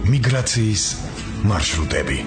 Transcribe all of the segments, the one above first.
მიგრაციის მარშრუტები.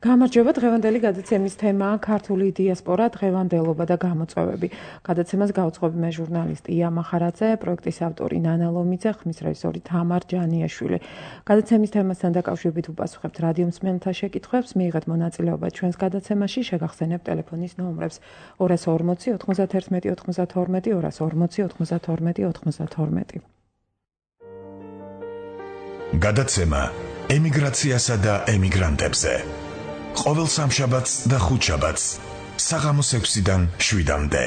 გამარჯობა, დღევანდელი გადაცემის თემაა ქართული დიასპორა, დღევანდელობა და გამოწვევები. გადაცემას გაუძღვები მე ჟურნალისტი ია მახარაძე, პროექტის ავტორი ნანა ლომიძე, ხმის რეჟისორი თამარ ჯანიაშვილი. გადაცემის თემასთან დაკავშირებით უპასუხებთ რადიო მსმენელთა შეკითხვებს, მიიღეთ მონაწილეობა ჩვენს გადაცემაში, შეგახსენებთ ტელეფონის ნომრებს 240 91 92 240 92 92. გადაცემა ემიგრაციასა და ემიგრანტებზე. ყოველ სამშაბათს და ხუთშაბათს საღამოს 6-დან 7-მდე.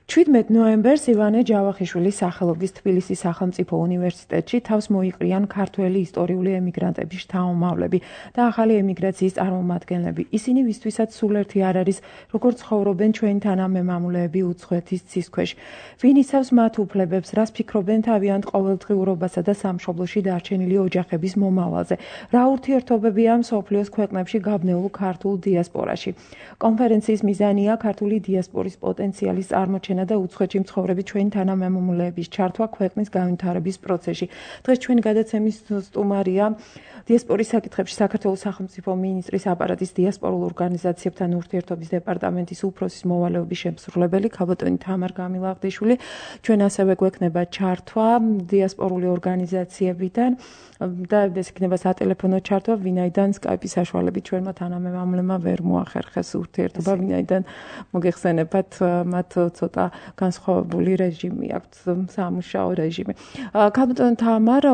17 ნოემბერს ივანე ჯავახიშვილის სახელობის თბილისის სახელმწიფო უნივერსიტეტში თავს მოიყრიან ქართველი ისტორიული ემიგრანტების შთამომავლები და ახალი ემიგრაციის წარმომადგენლები. ისინი ვისთვისაც სულ ერთი არ არის, როგორ ცხოვრობენ ჩვენი თანამემამულეები უცხოეთის ცის ქვეშ. ვინ იცავს მათ უფლებებს, რას ფიქრობენ თავიანთ ყოველდღიურობასა და სამშობლოში დარჩენილი ოჯახების მომავალზე. რა ურთიერთობებია მსოფლიოს ქვეყნებში გაბნეულ ქართულ დიასპორაში. კონფერენციის მიზანია ქართული დიასპორის პოტენციალის წარმოჩენა და უცხოეთში მცხოვრები ჩვენი თანამემამულეების ჩართვა ქვეყნის განვითარების პროცესში. დღეს ჩვენი გადაცემის სტუმარია დიასპორის საკითხებში საქართველოს სახელმწიფო მინისტრის აპარატის დიასპორულ ორგანიზაციებთან ურთიერთობის დეპარტამენტის უფროსის მოვალეობის შემსრულებელი ქალბატონი თამარ გამილაღდიშვილი. ჩვენ ასევე გვექნება ჩართვა დიასპორული ორგანიზაციებიდან და ეს იქნება სატელეფონო ჩართვა, ვინაიდან სკაიპის საშუალებით ჩვენმა თანამემამულებმა ვერ მოახერხეს ურთიერთობა, ვინაიდან მოგეხსენებათ მათ ცოტა განსხვავებული რეჟიმი აქვს, სამუშაო რეჟიმი. ქალბატონ თამარ,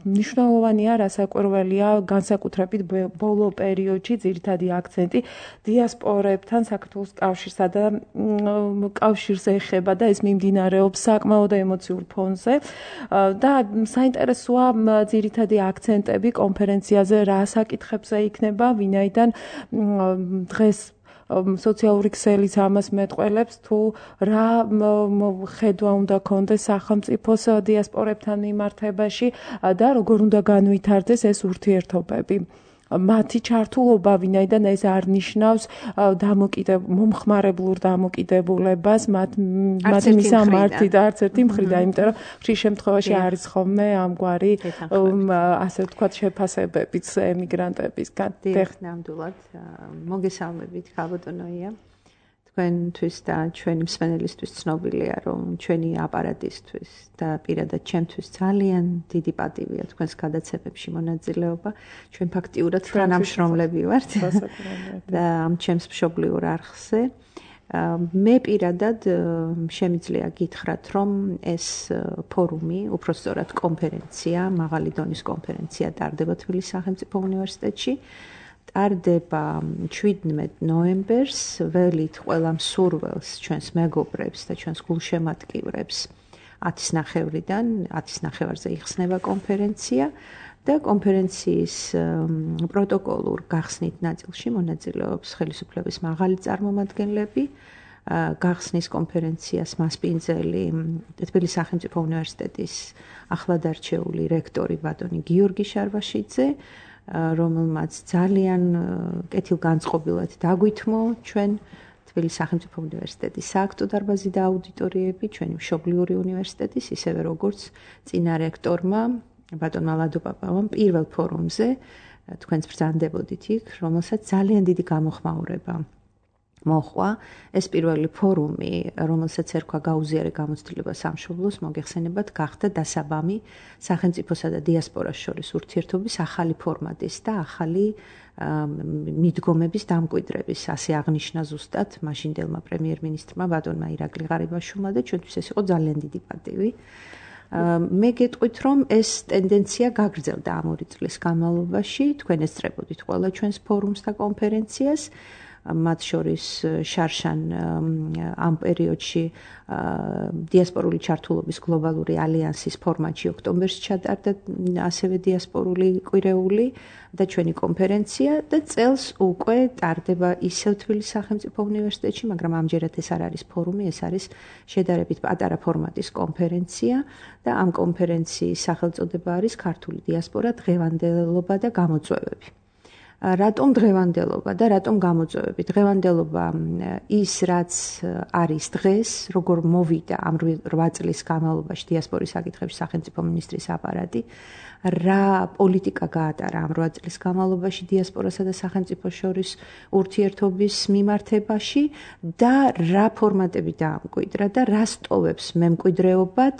მნიშვნელოვანია, რასაკვირველია, განსაკუთრებით ბოლო პერიოდში ძირითადი აქცენტი დიასპორებთან საქართველოს კავშირსა და კავშირს ეხება და ეს მიმდინარეობს საკმაოდ ემოციურ ფონზე და საინტერესოა ძირითადი აქცენტები კონფერენციაზე რა საკითხებზე იქნება, ვინაიდან დღეს სოციალური ქსელიც ამას მეტყველებს, თუ რა ხედვა უნდა კონდეს სახელმწიფოს დიასპორებთან მიმართებაში და როგორ უნდა განვითარდეს ეს ურთიერთობები. მათი ჩართულობა, ვინაიდან ეს არ ნიშნავს მომხმარებლურ დამოკიდებულებას, მათი მისამართი და არც ერთი მხრიდან, იმიტომ რომ ხშირ შემთხვევაში არის ხოლმე ამგვარი ასე ვთქვათ შეფასებებიც ემიგრანტებისგან. ნამდვილად მოგესალმებით ქალბატონია. თქვენთვის და ჩვენი მსმენელისთვის ცნობილია, რომ ჩვენი აპარატისთვის და პირადად ჩემთვის ძალიან დიდი პატივია თქვენს გადაცემებში მონაწილეობა. ჩვენ ფაქტიურად თანამშრომლები ვართ და ამ ჩემს მშობლიურ არხზე. მე პირადად შემიძლია გითხრათ, რომ ეს ფორუმი, უпростоრად კონფერენცია, მაღალი დონის კონფერენცია ტარდება თბილისის სახელმწიფო უნივერსიტეტში. ტარდება 17 ნოემბერს, ველით ყველა მსურველს, ჩვენს მეგობრებს და ჩვენს გულშემატკივრებს 10:30-დან 10:30-ზე იხსნება კონფერენცია და კონფერენციის პროტოკოლურ გახსნით ნაწილში მონაწილეობს ხელისუფლების მაღალი წარმომადგენლები. გახსნის კონფერენციას მასპინძელი თბილისის სახელმწიფო უნივერსიტეტის ახლად არჩეული რექტორი ბატონი გიორგი შარვაშიძე, რომელმაც ძალიან კეთილგანწყობილად დაგვითმო ჩვენ თბილისის სახელმწიფო უნივერსიტეტის სააქტო დარბაზი და აუდიტორიები, ჩვენი მშობლიური უნივერსიტეტის, ისევე როგორც წინა რექტორმა ბატონმა ლადო პაპავამ პირველ ფორუმზე თქვენც ბრძანდებოდით იქ, რომელსაც ძალიან დიდი გამოხმაურება მოხვა. ეს პირველი ფორუმი, რომელსაც ერქვა გაუზიარე გამოცდილება სამშობლოს, მოგეხსენებათ, გახდა დასაბამი სახელმწიფოსა და დიასპორას შორის ურთიერთობის ახალი ფორმატის და ახალი მიდგომების დამკვიდრების, ასე აღნიშნა ზუსტად მაშინდელმა პრემიერ-მინისტრმა ბატონმა ირაკლი ღარიბაშვილმა და ჩვენთვის ეს იყო ძალიან დიდი პატივი. მე გეტყვით, რომ ეს ტენდენცია გაგრძელდა ამ 2 წლის განმავლობაში, თქვენ ესწრებოდით ყველა ჩვენს ფორუმს და კონფერენციას. მათ შორის შარშან ამ პერიოდში დიასპორული ჩართულობის გლობალური ალიანსის ფორმატში ოქტომბერში ჩატარდა ასევე დიასპორული კვირეული და ჩვენი კონფერენცია და წელს უკვე ტარდება ისევ თბილისის სახელმწიფო უნივერსიტეტში, მაგრამ ამჯერად ეს არ არის ფორუმი, ეს არის შედარებით პატარა ფორმატის კონფერენცია და ამ კონფერენციის სახელწოდება არის ქართული დიასპორა, დღევანდელობა და გამოწვევები. რატომ დღევანდელობა და რატომ გამოწვევები? დღევანდელობა ის, რაც არის დღეს, როგორ მოვიდა ამ 8 წლის განმავლობაში დიასპორის საკითხებში სახელმწიფო მინისტრის აპარატი, რა პოლიტიკა გაატარა ამ 8 წლის განმავლობაში დიასპორასა და სახელმწიფოს შორის ურთიერთობის მიმართებაში და რა ფორმატები დაამკვიდრა და რა სტოვებს მემკვიდრეობად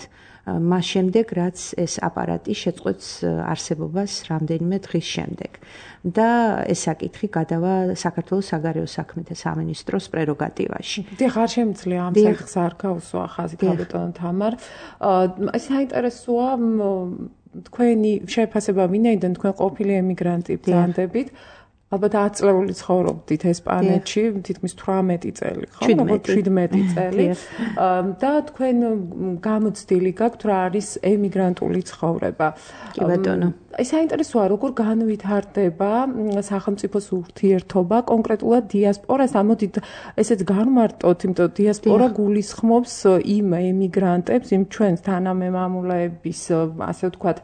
მას შემდეგ, რაც ეს აპარატი შეწყვეტს არსებობას რამდენიმე დღის შემდეგ. და ეს საკითხი გადავა საქართველოს საგარეო საქმეთა სამინისტროს პრეროგატივაში. ხარ შემიძლია ამ საკითხს არ გავუსვა ხაზით ბატონო თამარ. ეს საინტერესოა თქვენი შეფასება ვინაიდან თქვენ ყოფილი ემიგრანტი ბრძანდებით. ალბათ 10 წლეული ცხოვრობდით ესპანეთში, თითქმის 18 წელი, ხო? 17 წელი. და თქვენ გამოცდილი გაქვთ რა არის ემიგრანტული ცხოვრება. კი ბატონო. ეს საინტერესოა, როგორ განვითარდება სახელმწიფოს ურთიერთობა კონკრეტულად დიასპორას. ამოდით ესეც განმარტოთ, იმიტომ რომ დიასპორა გულისხმობს იმ ემიგრანტებს, იმ ჩვენს თანამემამულეების, ასე ვთქვათ,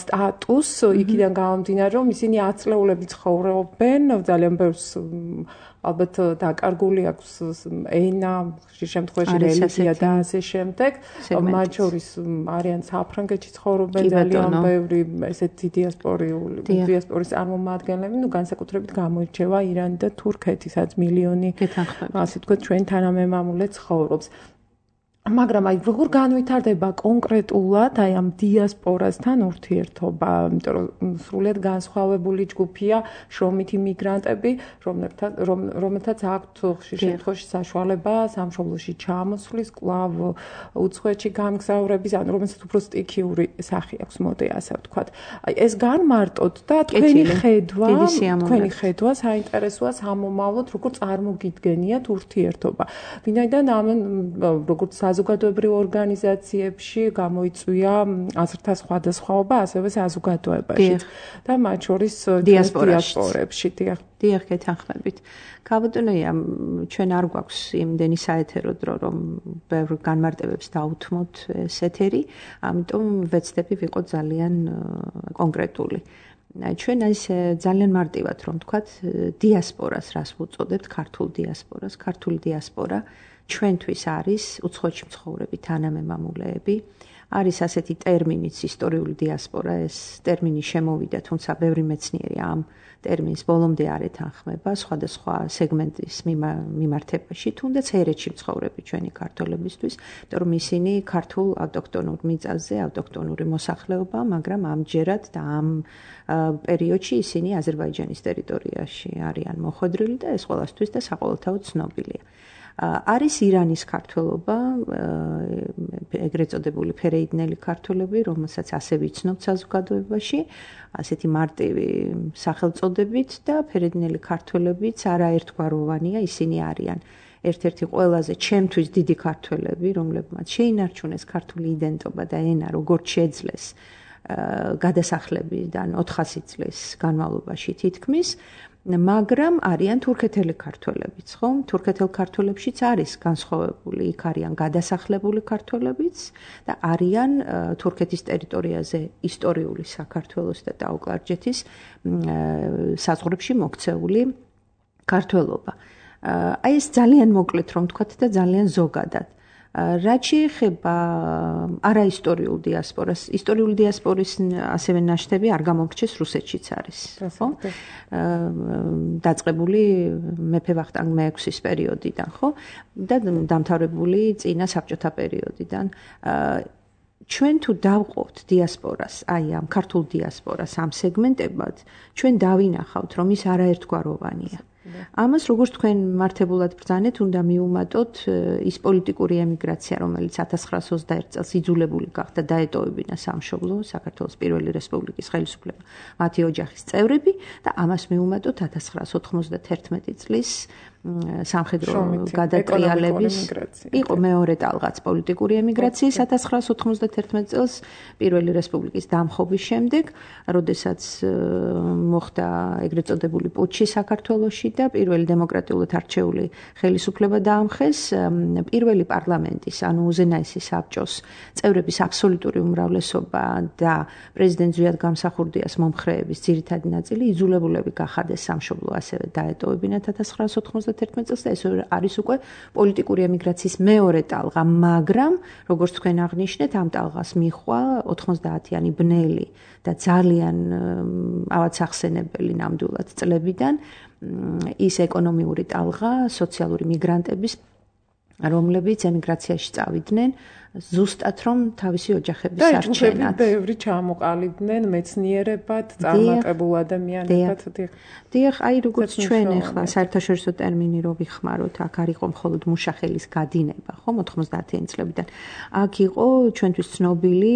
სტატუსს, იქიდან გამომდინარე, რომ ისინი 10 წლეულები ცხოვრობენ, ძალიან ბევრს ალბათ დაკარგული აქვს ენა, ხშირ შემთხვევაში რელიგია და ასე შემდეგ. მათ შორის არიან საფრანგეთში ცხოვრობენ ძალიან ბევრი ესეთი დიასპორის წარმომადგენლები, განსაკუთრებით გამოირჩევა ირანი და თურქეთი, სადაც მილიონი, ასე ვთქვათ, ჩვენ თანამემამულე ცხოვრობს. მაგრამ როგორ განვითარდება კონკრეტულად ამ დიასპორასთან ურთიერთობა, იმიტომ რომ სრულიად განსხვავებული ჯგუფია შრომითი მიგრანტები, რომელთაც აქვთ ხშირ შემთხვევაში საშუალება სამშობლოში ჩამოსვლის, კვლავ უცხოეთში გამგზავრების, ანუ რომელსაც უფრო სტიქიური სახე აქვს, მოდი ასე ვთქვათ. ეს განმარტოთ და თქვენი ხედვა საინტერესოა სამომავლოდ, როგორ წარმოგიდგენიათ ურთიერთობა. ვინაიდან როგორც საზოგადოებრივ ორგანიზაციებში გამოიწვია აზრთა სხვადასხვაობა, ასევე საზოგადოებაში და მათ შორის დიასპორებში. დიახ, გეთანხმებით. ქაბატონია, ჩვენ არ გვაქვს იმდენი საეთერო დრო, რომ ბევრ განმარტებებს დაუთმოთ ეს ეთერი, ამიტომ ვეცდები ვიყოთ ძალიან კონკრეტული. ჩვენ ისე ძალიან მარტივად რომ ვთქვათ, დიასპორას რას ვუწოდებთ, ქართული დიასპორა ჩვენთვის არის უცხოეთში მცხოვრები თანამემამულეები. არის ასეთი ტერმინიც ისტორიული დიასპორა, ეს ტერმინი შემოვიდა, თუმცა ბევრი მეცნიერი ამ ტერმინს ბოლომდე არ ეთანხმება სხვადასხვა სეგმენტის მიმართებაში, თუნდაც ერეთში მცხოვრები ჩვენი ქართველებისთვის, იმიტომ რომ ისინი ქართულ ავტოქტონურ მიწაზე, ავტოქტონური მოსახლეობა, მაგრამ ამჯერად და ამ პერიოდში ისინი აზერბაიჯანის ტერიტორიაში არიან მოხვედრილი და ეს ყველასთვის და საყოველთაოდ ცნობილია. არის ირანის ქართველობა, ეგრეთ წოდებული ფერეიდნელი ქართველები, რომელსაც ასე ვიცნობთ საზოგადოებაში, ასეთი მარტივი სახელწოდებით და ფერეიდნელი ქართველებიც არაერთგვაროვანია, ისინი არიან ერთ-ერთი ყველაზე ჩემთვის დიდი ქართველები, რომლებმაც შეინარჩუნეს ქართული იდენტობა და ენა, როგორც შეძლეს გადასახლებიდან 400 წლის განმავლობაში თითქმის, მაგრამ არიან თურქეთელი ქართველებიც, ხო? თურქეთელ ქართველებშიც არის განსხვავებული, იქ არიან გადასახლებული ქართველებიც და არიან თურქეთის ტერიტორიაზე ისტორიული საქართველოს და ტაო-კლარჯეთის საზღვრებში მოქცეული ქართველობა. აი ეს ძალიან მოკლედ რომ ვთქვათ და ძალიან ზოგადად. რაც შეეხება არაისტორიულ დიასპორას, ისტორიული დიასპორის ასევე ნაშთები არ გამომრჩეს რუსეთშიც არის, ხო? დაწყებული მეფე ვახტანგ მე-6-ის პერიოდიდან, ხო? და დამთავრებული წინა საბჭოთა პერიოდიდან. ჩვენ თუ დავყოთ დიასპორას, აი ამ ქართულ დიასპორას ამ სეგმენტებად, ჩვენ დავინახავთ, რომ ის არაერთგვაროვანია. ამას როგორც თქვენ მართებულად ბრძანეთ, უნდა მიუმატოთ ის პოლიტიკური ემიგრაცია, რომელიც 1921 წელს იძულებული გახდა დაეტოვებინა სამშობლო, საქართველოს პირველი რესპუბლიკის ხელისუფლება, მათი ოჯახის წევრები და ამას მიუმატოთ 1991 წლის სამხედრო გადატრიალების იყო მეორე ტალღაც პოლიტიკური ემიგრაციის 1991 წელს პირველი რესპუბლიკის დამხობის შემდეგ, როდესაც მოხდა ეგრეთ წოდებული პუტჩი საქართველოში და პირველი დემოკრატიულად არჩეული ხელისუფლება დაამხეს, პირველი პარლამენტის, ანუ უზენაესი საბჭოს წევრების აბსოლუტური უმრავლესობა და პრეზიდენტ ზვიად გამსახურდიას მომხრეების ძირითადი ნაწილი იძულებულები გახადეს სამშობლო ასევე დაეტოვებინათ 1991 წელს და ეს არის უკვე პოლიტიკური ემიგრაციის მეორე ტალღა, მაგრამ როგორც თქვენ აღნიშნეთ, ამ ტალღას მიხვა 90-იანი ბნელი და ძალიან ავად სახსენებელი ნამდვილად წლებიდან ის ეკონომიური ტალღა, სოციალური მიგრანტების, რომლებიც ემიგრაციაში წავიდნენ ზუსტად რომ თავისი ოჯახების არჩენად. და ბევრი ჩამოყალიბდნენ მეცნიერებად, წარმატებულ ადამიანებად. დიახ, აი როგორც ჩვენ ახლა საერთაშორისო ტერმინი რო ვიხმაროთ, აქ არ იყო მხოლოდ მუშახელის გადინება, ხო, 90-იანი წლებიდან. აქ იყო ჩვენთვის ცნობილი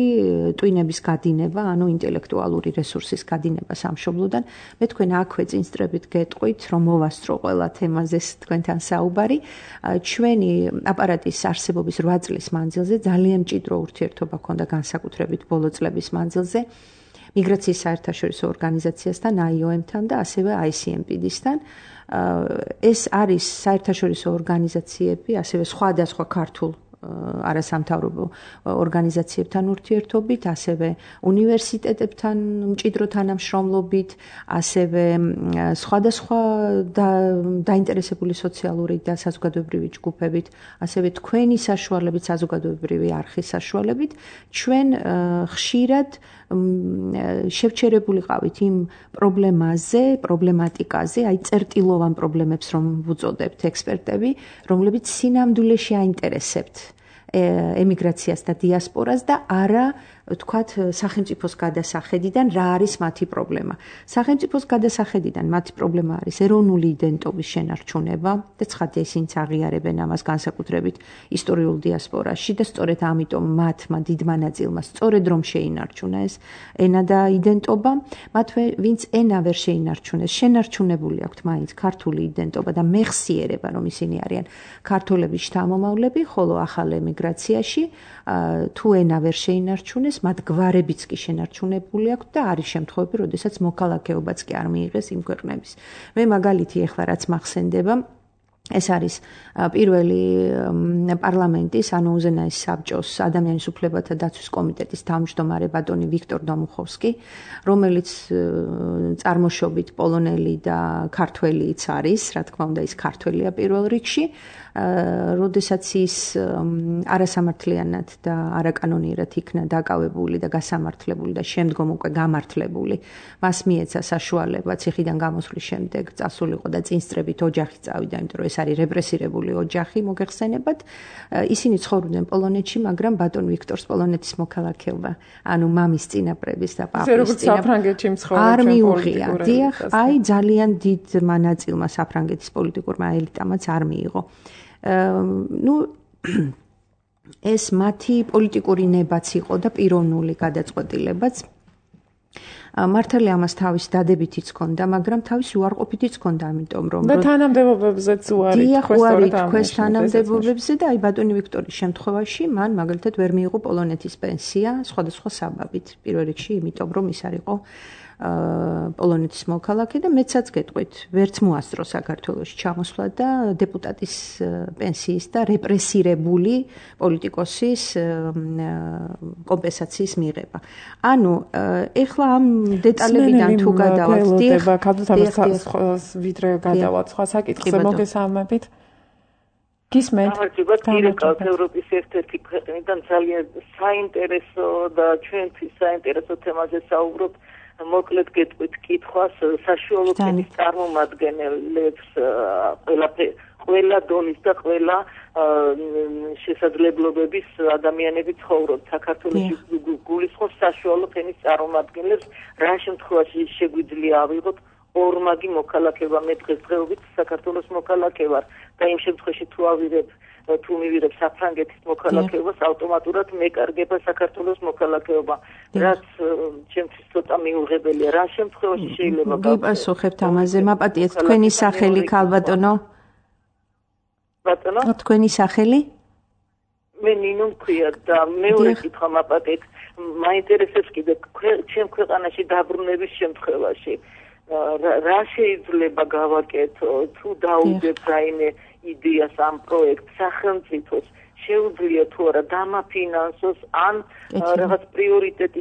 ტვინების გადინება, ანუ ინტელექტუალური რესურსის გადინება სამშობლოდან. მე თქვენ აქვე წინსწრებით გეტყვით, რომ მოვასწრო ყველა თემაზე თქვენთან საუბარი. ჩვენი აპარატის არსებობის 8 წლის მანძილზე ძალიან მჭიდრო ურთიერთობა ჰქონდა განსაკუთრებით ბოლო წლების მანძილზე მიგრაციის საერთაშორისო ორგანიზაციასთან, IOM-თან და ასევე ICMPD-სთან. ეს არის საერთაშორისო ორგანიზაციები, ასევე სხვადასხვა ქართულ არასამთავრობო ორგანიზაციებთან ურთიერთობით, ასევე უნივერსიტეტებთან მჭიდრო თანამშრომლობით, ასევე სხვადასხვა დაინტერესებული სოციალური და საზოგადოებრივი ჯგუფებით, ასევე თქვენი საშუალებით, საზოგადოებრივი არხის საშუალებით, ჩვენ ხშირად შევჩერებულიყავით იმ პრობლემატიკაზე, აი წერტილოვან პრობლემებს რომ ვუწოდებთ ექსპერტები, რომლებიც სინამდვილეში აინტერესებთ ემიგრაციას და დიასპორას და არა ვთქვათ სახელმწიფოს გადასახედიდან რა არის მათი პრობლემა. სახელმწიფოს გადასახედიდან მათი პრობლემა არის ეროვნული იდენტობის შენარჩუნება და ცხადია ისინიც აღიარებენ ამას განსაკუთრებით ისტორიულ დიასპორაში და სწორედ ამიტომ მათმა დიდმა ნაწილმა სწორედ რომ შეინარჩუნა ეს ენა და იდენტობა, მათ ვინც ენა ვერ შეინარჩუნეს, შენარჩუნებული აქვთ მაინც ქართული იდენტობა და მეხსიერება რომ ისინი არიან ქართველების შთამომავლები, ხოლო ახალ ემიგრაციაში თუ ენა ვერ შეინარჩუნეს, მათ გვარებიც კი შენარჩუნებული აქვთ და არის შემთხვევები, როდესაც მოქალაქეობაც კი არ მიიღეს იმ ქვეყნების. მე მაგალითი ახლა რაც მახსენდება, ეს არის პირველი პარლამენტის, ანუ უზენაეს საბჭოს ადამიანის უფლებათა დაცვის კომიტეტის თავმჯდომარე ბატონი ვიქტორ დომუხოვსკი, რომელიც წარმოშობით პოლონელი და ქართველიც არის, რა თქმა უნდა, ის ქართველია პირველ რიგში. როდესაც ის არასამართლიანად და არაკანონიერად იქნა დაკავებული და გასამართლებული და შემდგომ უკვე გამართლებული, მას მიეცა საშუალება ციხიდან გამოსვლის შემდეგ წასულიყო და წინსწრებით ოჯახი წავიდა, იმიტომ რომ ეს არის რეპრესირებული ოჯახი, მოგეხსენებათ. ისინი ცხოვრობდნენ პოლონეთში, მაგრამ ბატონ ვიქტორს პოლონეთის მოქალაქეობა, ანუ მამის წინაპრების და პაპის საფრანგეთში მცხოვრები არ მიუღია. დიახ, აი ძალიან დიდმა ნაწილმა საფრანგეთის პოლიტიკურმა ელიტამაც არ მიიღო. ეს მათი პოლიტიკური ნებაც იყო და პიროვნული გადაწყვეტილებაც. მართალია ამას თავის დადებითიც ჰქონდა, მაგრამ თავის უარყოფითიც ჰქონდა, ამიტომ რომ და თანამდებობებზეც უარი თქვეს თანამდებობებზე და აი ბატონი ვიქტორის შემთხვევაში მან მაგალითად ვერ მიიღო პოლონეთის პენსია სხვადასხვა საბაბით. პირველ რიგში იმიტომ რომ ის არ იყო პოლონეთის მოქალაქე და მეცაც გეტყვით, ვერც მოასწრო საქართველოში ჩამოსვლა და დეპუტატის პენსიის და რეპრესირებული პოლიტიკოსის კომპენსაციის მიღება. ანუ ეხლა ამ დეტალებიდან თუ გადავალთ, ვიდრე გადავალთ სხვა საკითხზე მოგესალმებით. გისმენთ? დირექტორ ევროპის ერთ-ერთი ქვეყნიდან ძალიან საინტერესო და ჩვენთვის საინტერესო თემაზე საუბრობთ. მოკლედ გეტყვით კითხვას საშუალო ფენის წარმომადგენლებს ყველა დონის და ყველა შესაძლებლობების ადამიანები ცხოვრობთ საქართველოში გულისხმობს საშუალო ფენის წარმომადგენლებს რა შემთხვევაში შეგვიძლია ავიღოთ ორმაგი მოქალაქეობა მე დღესდღეობით საქართველოს მოქალაქე ვარ და იმ შემთხვევაში თუ მივიღებ საფრანგეთის მოქალაქეობას ავტომატურად მეკარგება საქართველოს მოქალაქეობა რაც ჩემთვის ცოტა მიუღებელია რა შემთხვევაში შეიძლება გიპასუხებთ ამაზე მაპატიეთ თქვენი სახელი ქალბატონო ბატონო თქვენი სახელი მე ნინო მქვია და მეორე კითხვა მაპატიეთ მაინტერესებს კიდე ჩემ ქვეყანაში დაბრუნების შემთხვევაში რა შეიძლება გავაკეთო თუ დაუძებ რაიმე იდეას ამ პროექტს სახელმწიფოს შეუძლია თუ არა დამაფინანსოს ან რაღაც პრიორიტეტი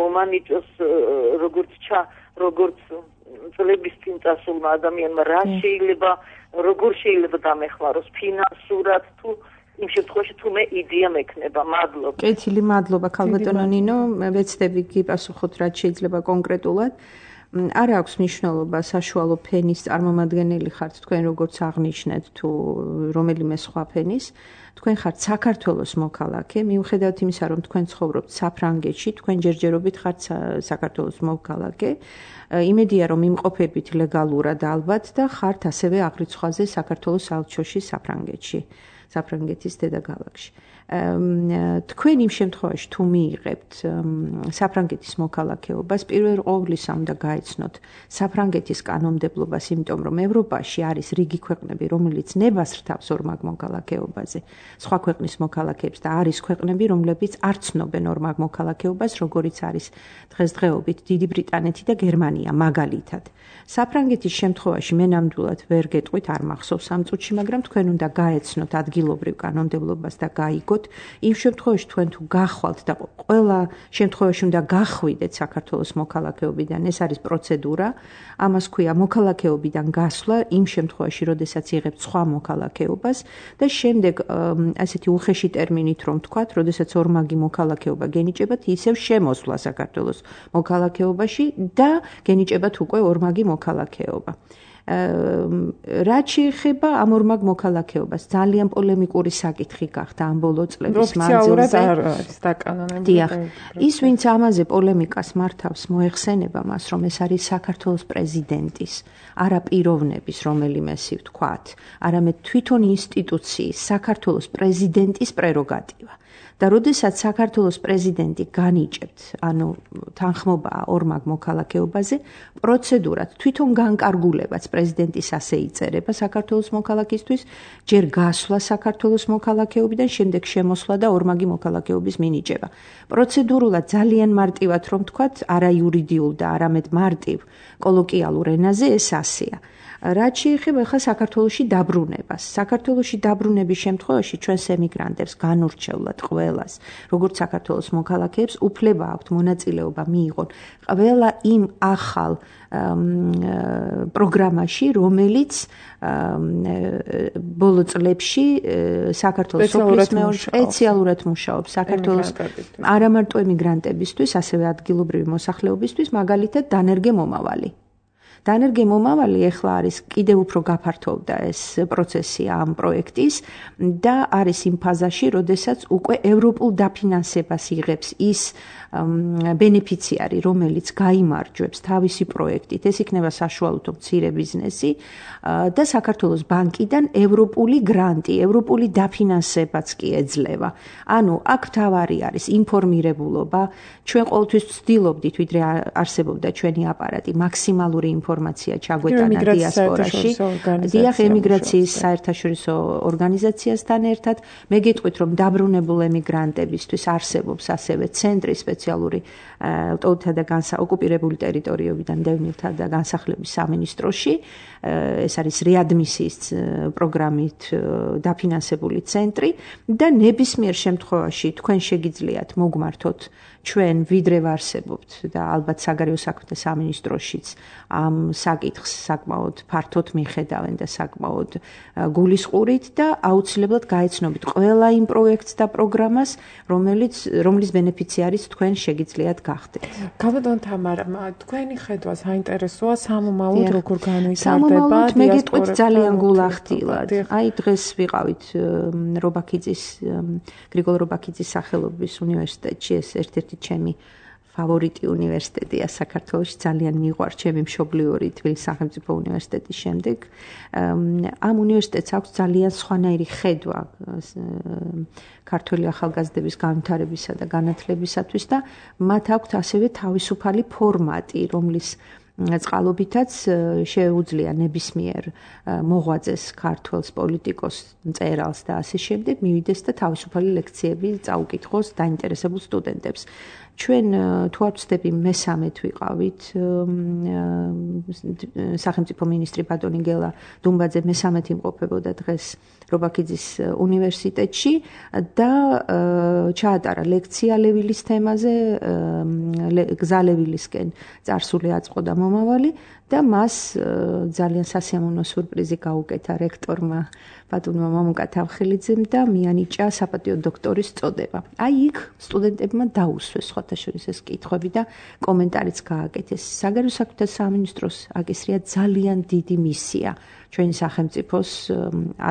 მომანიჭოს როგორც წლების წინ წასულმა ადამიანმა რა შეიძლება როგორ შეიძლება დამეხმაროს ფინანსურად თუ იმ შემთხვევაში თუ მე იდეა მექნება მადლობა კეთილი მადლობა ქალბატონო ნინო ვეცდები გიპასუხოთ რაც შეიძლება კონკრეტულად არ აქვს მნიშვნელობა საშუალო ფენის წარმომადგენელი ხართ თქვენ როგორც აღნიშნეთ თუ რომელიმე სხვა ფენის თქვენ ხართ საქართველოს მოქალაქე მიუხედავად იმისა რომ თქვენ ცხოვრობთ საფრანგეთში თქვენ ჯერჯერობით ხართ საქართველოს მოქალაქე იმედია რომ იმყოფებით ლეგალურად ალბათ და ხართ ასევე აღრიცხვაზე საქართველოს საელჩოში საფრანგეთის დედაქალაქში თქვენ იმ შემთხვევაში თუ მიიღებთ საფრანგეთის მოქალაქეობას პირველ ყოვლისა უნდა გაეცნოთ საფრანგეთის კანონმდებლობას იმიტომ რომ ევროპაში არის რიგი ქვეყნები რომელიც ნებას რთავს ორმაგ მოქალაქეობაზე სხვა ქვეყნის მოქალაქეებს და არის ქვეყნები რომლებიც არ ცნობენ ორმაგ მოქალაქეობას როგორიც არის დღესდღეობით დიდი ბრიტანეთი და გერმანია მაგალითად საფრანგეთის შემთხვევაში მე ნამდვილად ვერ გეტყვით არ მახსოვს ამ წუთში მაგრამ თქვენ უნდა გაეცნოთ ადგილობრივ კანონმდებლობას და გაიგოთ იმ შემთხვევაში თქვენ თუ გახვალთ და ყველა შემთხვევაში უნდა გახვიდეთ საქართველოს მოქალაქეობიდან ეს არის პროცედურა ამას ქვია მოქალაქეობიდან გასვლა იმ შემთხვევაში როდესაც იღებთ სხვა მოქალაქეობას და შემდეგ ასეთი უხეში ტერმინით რომ ვთქვათ როდესაც ორმაგი მოქალაქეობა გენიჭებათ ისევ შემოსვლა საქართველოს მოქალაქეობაში და გენიჭებათ უკვე ორმაგი მოქალაქეობა რაც შეეხება ამ ორმაგ მოქალაქეობას ძალიან პოლემიკური საკითხი გახდა ამ ბოლო წლების მანძილზე ის ვინც ამაზე პოლემიკას მართავს მოეხსენება მას რომ ეს არის საქართველოს პრეზიდენტის არა პიროვნების რომელიმესი ვთქვათ არამედ თვითონ ინსტიტუციის საქართველოს პრეზიდენტის პრეროგატივა და როდესაც საქართველოს პრეზიდენტი განიჭებთ, ანუ თანხმობაა ორმაგ მოქალაქეობაზე, პროცედურად თვითონ განკარგულებაც პრეზიდენტის ასე იწერება საქართველოს მოქალაქისთვის, ჯერ გასვლა საქართველოს მოქალაქეობიდან, შემდეგ შემოსვლა და ორმაგი მოქალაქეობის მინიჭება. პროცედურულად ძალიან მარტივად რომ ვთქვათ, არა იურიდიულ და არამედ მარტივ კოლოკიალურ ენაზე ეს ასეა. რაც შეეხება ახლა საქართველოში დაბრუნებას. საქართველოში დაბრუნების შემთხვევაში ჩვენს ემიგრანტებს განურჩევლად ყველას, როგორც საქართველოს მოქალაქეებს, უფლება აქვთ მონაწილეობა მიიღონ ყველა იმ ახალ პროგრამაში, რომელიც ბოლო წლებში საქართველოს სოფლის მეურნეობაში სპეციალურად მუშაობს საქართველოს არა მარტო ემიგრანტებისთვის, ასევე ადგილობრივი მოსახლეობისთვის, მაგალითად დანერგე მომავალი. დანერგე მომავალი ახლა არის კიდევ უფრო გაფართოვდა ეს პროცესი ამ პროექტის და არის იმ ფაზაში, როდესაც უკვე ევროპულ დაფინანსებას იღებს ის ბენეფიციარი, რომელიც გაიმარჯვებს თავისი პროექტით, ეს იქნება საშუალო მცირე ბიზნესი და საქართველოს ბანკიდან ევროპული გრანტი, ევროპული დაფინანსებაც კი ეძლევა. ანუ აქ თავარი არის ინფორმირებულობა, ჩვენ ყოველთვის ვცდილობდით, ვიდრე არსებობდა ჩვენი აპარატი, მაქსიმალური ინფორმაცია ჩაგვეტანა დიასპორაში. დიახ, ემიგრაციის საერთაშორისო ორგანიზაციასთან ერთად, მე გეტყვით, რომ დაბრუნებულ ემიგრანტებისთვის არსებობს ასევე ცენტრი სპეციალური ლტოლთა და ოკუპირებული ტერიტორიებიდან დევნილთა და განსახლების სამინისტროში. ეს არის რეადმისიის პროგრამით დაფინანსებული ცენტრი და ნებისმიერ შემთხვევაში თქვენ შეგიძლიათ მოგმართოთ ჩვენ ვიდრე ვარსებობთ და ალბათ საგარეო საქმეთა სამინისტროშიც ამ საკითხს საკმაოდ ფართოდ მიხედავენ და საკმაოდ გულისყურით და აუცილებლად გაეცნობით ყველა იმ პროექტს და პროგრამას, რომლის ბენეფიციარიც თქვენ შეგიძლიათ გახდეთ. ქალბატონ თამარა, თქვენი ხედვა საინტერესოა სამომავლოდ როგორ განვითარდება მე გეტყვით ძალიან გულახდილად. აი დღეს ვიყავით გრიგოლ რობაქიძის სახელობის უნივერსიტეტში ეს ერთ-ერთი ჩემი ფავორიტი უნივერსიტეტია საქართველოში, ძალიან მიყვარს ჩემი მშობლიური თბილისის სახელმწიფო უნივერსიტეტის შემდეგ. ამ უნივერსიტეტს აქვს ძალიან სხვანაირი ხედვა ქართველი ახალგაზრდების განვითარებისა და განათლებისათვის და მათ აქვს ასევე თავისუფალი ფორმატი, რომლის წყალობითაც შეუძლია ნებისმიერ მოღვაწეს ქართველს პოლიტიკოს მწერალს და ასე შემდეგ მივიდეს და თავისუფალი ლექციები წაუკითხოს დაინტერესებულ სტუდენტებს. ჩვენ თუ არ ვცდები მესამედ ვიყავით სახელმწიფო მინისტრი ბატონი გელა დუმბაძე მესამედ იმყოფებოდა დღეს რობაქიძის უნივერსიტეტში და ჩაატარა ლექცია ლევილის თემაზე გზა ლევილისკენ წარსული აწყო და მომავალი და მას ძალიან სასიამოვნო სურპრიზი გაუკეთა რექტორმა ბატონმა მამუკა თავხელიძემ და მიანიჭა საპატიო დოქტორის წოდება. აი იქ სტუდენტებმა დაუსვეს სხვათა შორის ეს კითხვები და კომენტარიც გააკეთეს. საგარეო საქმეთა სამინისტროს აკისრია ძალიან დიდი მისია ჩვენი სახელმწიფოს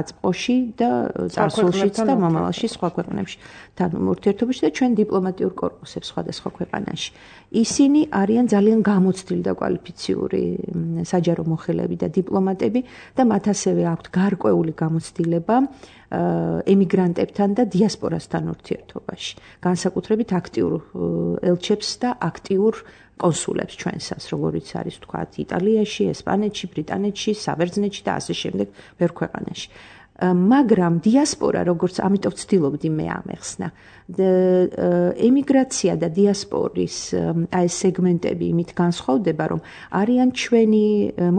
აწყოში და წარსულშიც და მომავალში სხვა ქვეყნებში ურთიერთობაში და ჩვენ დიპლომატიურ კორპუსებს სხვადასხვა ქვეყანაში. ისინი არიან ძალიან გამოცდილი და კვალიფიციური საჯარო მოხელეები და დიპლომატები და მათ ასევე აქვთ გარკვეული გამოცდილება ემიგრანტებთან და დიასპორასთან ურთიერთობაში. განსაკუთრებით აქტიურ ელჩებს და აქტიურ კონსულებს ჩვენსას, როგორიც არის თქვათ იტალიაში, ესპანეთში, ბრიტანეთში, საბერძნეთში და ასე შემდეგ ბევრ ქვეყანაში. მაგრამ დიასპორა, როგორც ამიტომ ვცდილობდი მე ამეხსნა, ემიგრაცია და დიასპორის აი სეგმენტები იმით განსხვავდება, რომ არიან ჩვენი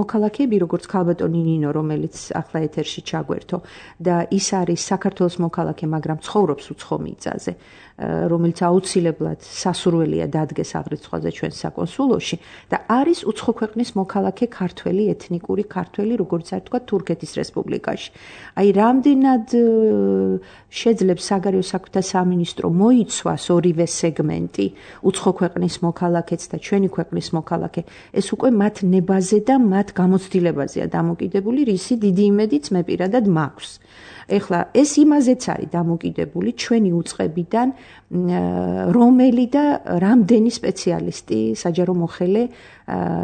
მოქალაქეები, როგორც ქალბატონი ნინო, რომელიც ახლა ეთერში ჩაგვერთო და ის არის საქართველოს მოქალაქე, მაგრამ ცხოვრობს უცხო მიწაზე, რომელიც აუცილებლად სასურველია დადგეს აღრიცხვაზე ჩვენ საკონსულოში და არის უცხო ქვეყნის მოქალაქე ქართველი ეთნიკური ქართველი, როგორც არის თქვა თურქეთის რესპუბლიკაში. აი რამდენად შეძლებს საგარეო საქმეთა სამინისტრო მოიცვას ორივე სეგმენტი, უცხო ქვეყნის მოქალაქეც და ჩვენი ქვეყნის მოქალაქე, ეს უკვე მათ ნებაზე და მათ გამოცდილებაზეა დამოკიდებული, რისი დიდი იმედიც მე პირადად მაქვს. ეხლა ეს იმაზეც არის დამოკიდებული ჩვენი უწყებიდან რომელი და რამდენი სპეციალისტი საჯარო მოხელე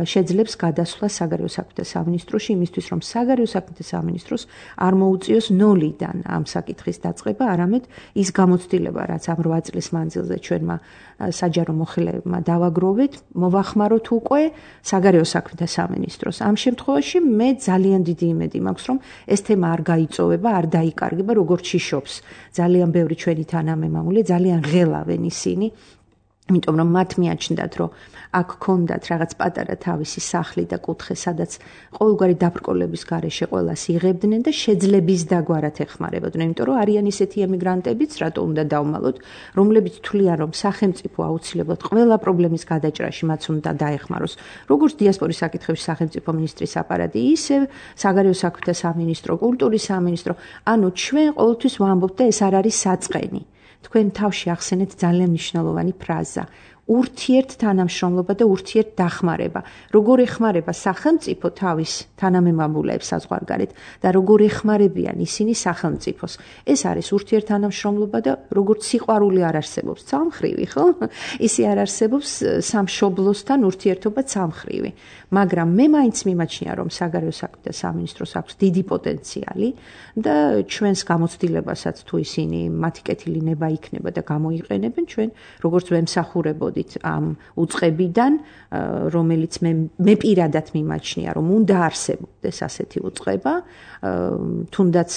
შეძლებს გადასვლა საგარეო საქმეთა სამინისტროში იმისთვის რომ საგარეო საქმეთა სამინისტროს არ მოუწიოს ნოლიდან ამ საკითხის დაწყება, არამედ ის გამოცდილება რაც ამ 8 წლის მანძილზე ჩვენმა საჯარო მოხელებმა დავაგროვეთ, მოვახმაროთ უკვე საგარეო საქმეთა სამინისტროს. ამ შემთხვევაში მე ძალიან დიდი იმედი მაქვს რომ ეს თემა არ გაიწოვება, არ დაიკარგება, როგორც შიშობს ძალიან ბევრი ჩვენი თანამემამულე, ძალიან ღელავენ ისინი, იმიტომ რომ მათ მიაჩნდათ რომ აქ ქონდათ რაღაც პატარა თავისი სახლი და კუთხე, სადაც ყოველგვარი დაბრკოლების გარეშე ყველას იღებდნენ და შეძლების დაგვარად ეხმარებოდნენ, იმიტომ რომ არიან ისეთი ემიგრანტებიც, რატო უნდა დავმალოთ, რომლებიც თვლიან რომ სახელმწიფო აუცილებლად ყველა პრობლემის გადაჭრაში მათ უნდა დაეხმაროს, როგორც დიასპორის საკითხების სახელმწიფო მინისტრის აპარატი, ისე საგარეო საქმეთა სამინისტრო, კულტურის სამინისტრო, ანუ ჩვენ ყოველთვის ვამბობთ და ეს არ არის საწყენი. თქვენ თავში ახსენეთ ძალიან მნიშვნელოვანი ფრაზა. ურთიერთ თანამშრომლობა და ურთიერთ დახმარება. როგორ ეხმარება სახელმწიფო თავის თანამემამულეებს საზღვარგარეთ და როგორ ეხმარებიან ისინი სახელმწიფოს. ეს არის ურთიერთ თანამშრომლობა და როგორც სიყვარული არ არსებობს ცალმხრივი, ხო? ისე არ არსებობს სამშობლოსთან ურთიერთობა ცალმხრივი. მაგრამ მე მაინც მიმაჩნია რომ საგარეო საქმეთა სამინისტროს აქვს დიდი პოტენციალი და ჩვენს გამოცდილებასაც თუ ისინი მათი კეთილი ნება იქნება და გამოიყენებენ, ჩვენ როგორც ვემსახურებოდით ამ უწყებიდან, რომელიც მე პირადად მიმაჩნია რომ უნდა არსებობდეს ასეთი უწყება, თუნდაც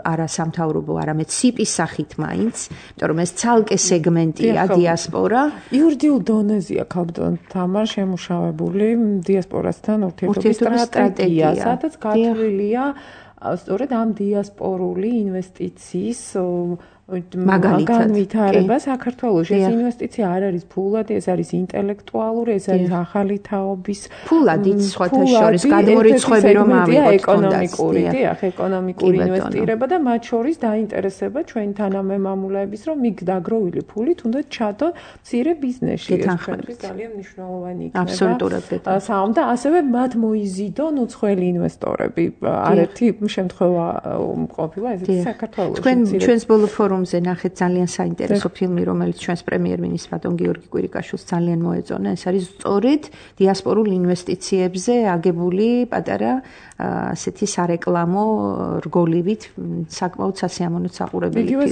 არა სამთავრობო, არამედ სიპის სახით მაინც, იმიტომ რომ ეს ცალკე სეგმენტია დიასპორა. იურიდიულ დონეზეა ქალბატონ თამარ შემუშავებული დიასპორასთან ურთიერთობის სტრატეგია, სადაც გათვლილია სწორედ ამ დიასპორული ინვესტიციის განვითარება საქართველოში. ეს ინვესტიცია არ არის ფულად, ეს არის ინტელექტუალური, ეს არის ახალი თაობის ფულადით სხვათა შორის გადმორიცხვები რომ ავიღოთ ეკონომიკური, დიახ, ეკონომიკური ინვესტირება და მათ შორის დაინტერესება ჩვენი თანამემამულეების, რომ იქ დაგროვილი ფული თუნდაც ჩადონ მცირე ბიზნესში. ეს ძალიან მნიშვნელოვანი იქნება. აბსოლუტურად. და ასევე მათ მოიზიდონ უცხოელი ინვესტორები. არერთი შემთხვევა ყოფილა ესეთი საქართველოში. თქვენ ჩვენს ბოლო ფორუმზე ნახეთ ძალიან საინტერესო ფილმი, რომელიც ჩვენს პრემიერ-მინისტრ ბატონ გიორგი კვირიკაშვილს ძალიან მოეწონა. ეს არის სწორედ დიასპორულ ინვესტიციებზე აგებული პატარა ასეთი სარეკლამო რგოლივით საკმაოდ სასიამოვნო საყურებელი ფილმი.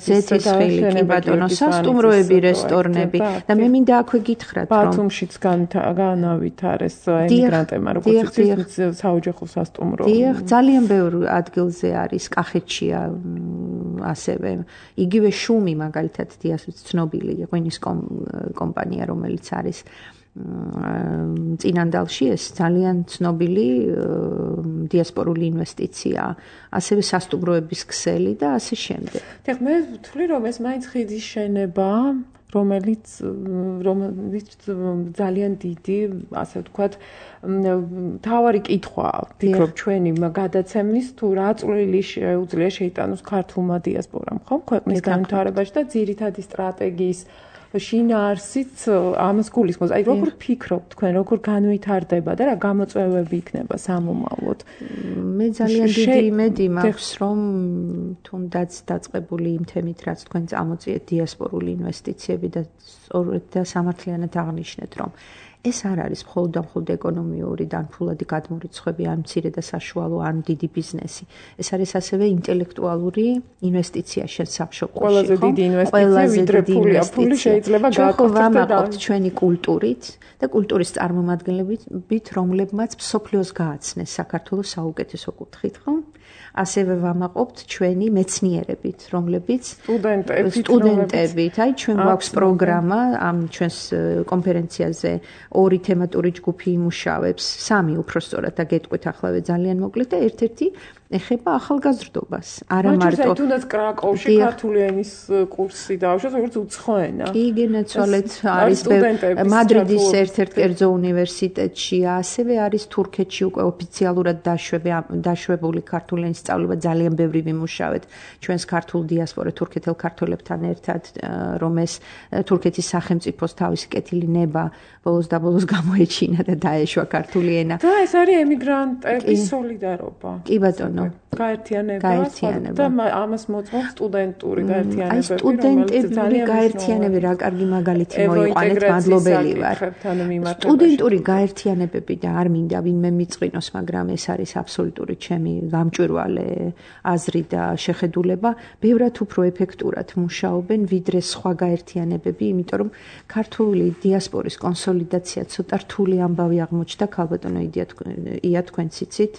ზეთისხილი კი ბატონო, სასტუმროები, რესტორნები და მე მინდა აქვე გითხრათ, რომ ბათუმშიც განავითარეს ემიგრანტებმა, როგორც იცით, საოჯახო სასტუმრო. დიახ, ძალიან ბევრ ადგილზე არის, კახეთშია ასევე. იგივე შუმი მაგალითად დიასპორის ცნობილი ღვინის კომპანია, რომელიც არის წინანდალში, ეს ძალიან ცნობილი დიასპორული ინვესტიცია, ასევე სასტუმროების ქსელი და ასე შემდეგ. დიახ, მე ვთვლი, რომ ეს მაინც ხიდის შენება, რომელიც ძალიან დიდი, ასე ვთქვათ, თავარი კითხვა, ვფიქრობ ჩვენი გადაცემის, თუ რა წვლილი შეუძლია შეიტანოს ქართულმა დიასპორამ, ხო, ქვეყნის განვითარებაში და ძირითადი სტრატეგიის შინაარსიც ამას გულისხმობს. აი, როგორ ფიქრობთ თქვენ, როგორ განვითარდება და რა გამოწვევები იქნება სამომავლოდ? მე ძალიან დიდი იმედი მაქვს, რომ თუნდაც დაწყებული იმ თემით, რაც თქვენ წამოწიეთ დიასპორული ინვესტიციები და სწორედ და სამართლიანად აღნიშნეთ, რომ ეს არ არის მხოლოდ და მხოლოდ ეკონომიური და ფულადი გადმორიცხვები, ან მცირე და საშუალო, ან დიდი ბიზნესი. ეს არის ასევე ინტელექტუალური ინვესტიცია შენ სამშობლოში. ყველაზე დიდი ინვესტიცია, ვიდრე ფული შეიძლება გავაკეთოთ ჩვენი კულტურით და კულტურის წარმომადგენლებით, რომლებმაც მსოფლიოს გააცნეს საქართველოს საუკეთესო კუთხით, ხო? ასევე ვამაყობთ ჩვენი მეცნიერებით, რომლებიც სტუდენტებით, აი ჩვენ გვაქვს პროგრამა ამ ჩვენს კონფერენციაზე 2 თემატური ჯგუფი იმუშავებს, 3 უпростоრად და გეტყვით ახლა ძალიან მოკლედ და ერთ-ერთი ეხება ახალგაზრდობას. არა მარტო თუნდაც კრაკოვში ქართული ენის კურსი დაუშვათ, როგორც უცხო ენა. კი, გენაცვალეთ არის მადრიდის ერთ-ერთ კერძო უნივერსიტეტში, ასევე არის თურქეთში უკვე ოფიციალურად დაშვებული ქართული ენის სწავლება, ძალიან ბევრი ვიმუშავეთ ჩვენს ქართულ დიასპორა თურქეთელ ქართველებთან ერთად, რომ ეს თურქეთის სახელმწიფოს თავისი კეთილი ნება ბოლოს და ბოლოს გამოეჩინა და დაეშვა ქართული ენა. და ეს არის ემიგრანტების სოლიდარობა. კი ბატონო. გაერთიანება და ამას მოწმობს სტუდენტური გაერთიანებები. აი სტუდენტური გაერთიანებები რა კარგი მაგალითი მოიყვანეთ, მადლობელი ვარ. სტუდენტური გაერთიანებები და არ მინდა ვინმე მიწყინოს, მაგრამ ეს არის აბსოლუტური ჩემი გამჭვირვალე აზრი და შეხედულება. ბევრად უფრო ეფექტურად მუშაობენ ვიდრე სხვა გაერთიანებები, იმიტომ რომ ქართული დიასპორის კონსოლიდაცია ცოტა რთული ამბავი აღმოჩნდა ქალბატონო ია თქვენც იცით.